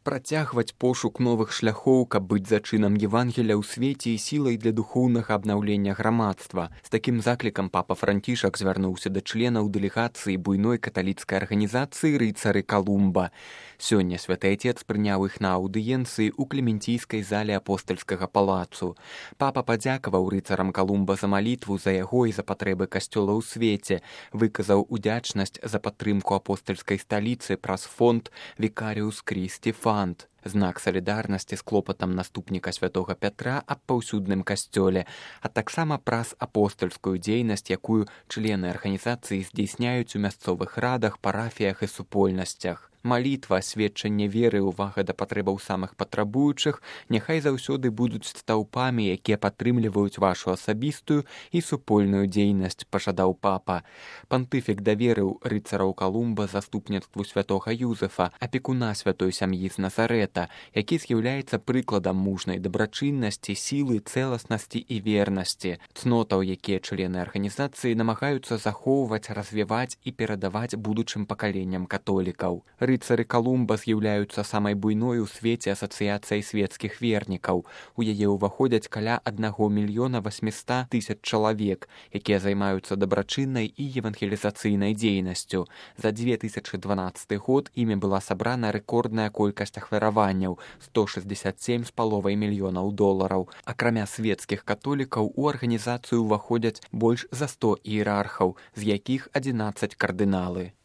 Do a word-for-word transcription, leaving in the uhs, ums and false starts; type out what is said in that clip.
Працягваць пошук новых шляхоў, каб быць зачынам Евангеля ў свеце і сілай для духоўнага абнаўлення грамадства. З такім заклікам папа Францішак звярнуўся да членаў дэлегацыі буйной каталіцкай арганізацыі рыцары Калумба. Сёння святы Отец прыняў іх на аўдыенцыі ў клементійскай зале апостальскага палацу. Папа падзякаваў рыцарам Калумба за малітву за яго і за патрэбы касцёла ў свеце, выказаў удзячнасць за падтрымку апостальскай сталіцы праз фонд Vicarius Christi Fund. Знак салідарнасці з клопатам наступніка святога Пятра аб паўсюдным касцёле, а таксама праз апостальскую дзейнасць, якую члены арганізацыі здзейсняюць у мясцовых радах, парафіях і супольнасцях. Малітва, сведчанне веры, увага да патрэбаў самых патрабуючых няхай заўсёды будуць стаўпамі, якія падтрымліваюць вашу асабістую і супольную дзейнасць, пажадаў папа. Пантыфік даверыў рыцараў Калумба заступніцтву святога Юзефа, апекуна святой сям'і з Назарэта, які з'яўляецца прыкладам мужнай дабрачыннасці, сілы, цэласнасці і вернасці, цнотаў, якія члены арганізацыі намагаюцца захоўваць, развіваць і перадаваць будучым пакаленням католікаў. Рыцары Калумба з'яўляюцца самай буйной у свеце асацыяцыяй свецкіх вернікаў. У яе ўваходзяць каля аднаго мільёна васьміста тысяч чалавек, якія займаюцца дабрачыннай і евангелізацыйнай дзейнасцю. За дзве тысячы дванаццаты год імі была сабрана рэкордная колькасць ахвяраванняў – сто шэсцьдзесят сем з паловай мільёнаў долараў. Акрамя свецкіх католікаў у арганізацыю ўваходзяць больш за сто іерархаў, з якіх адзінаццаць кардыналы.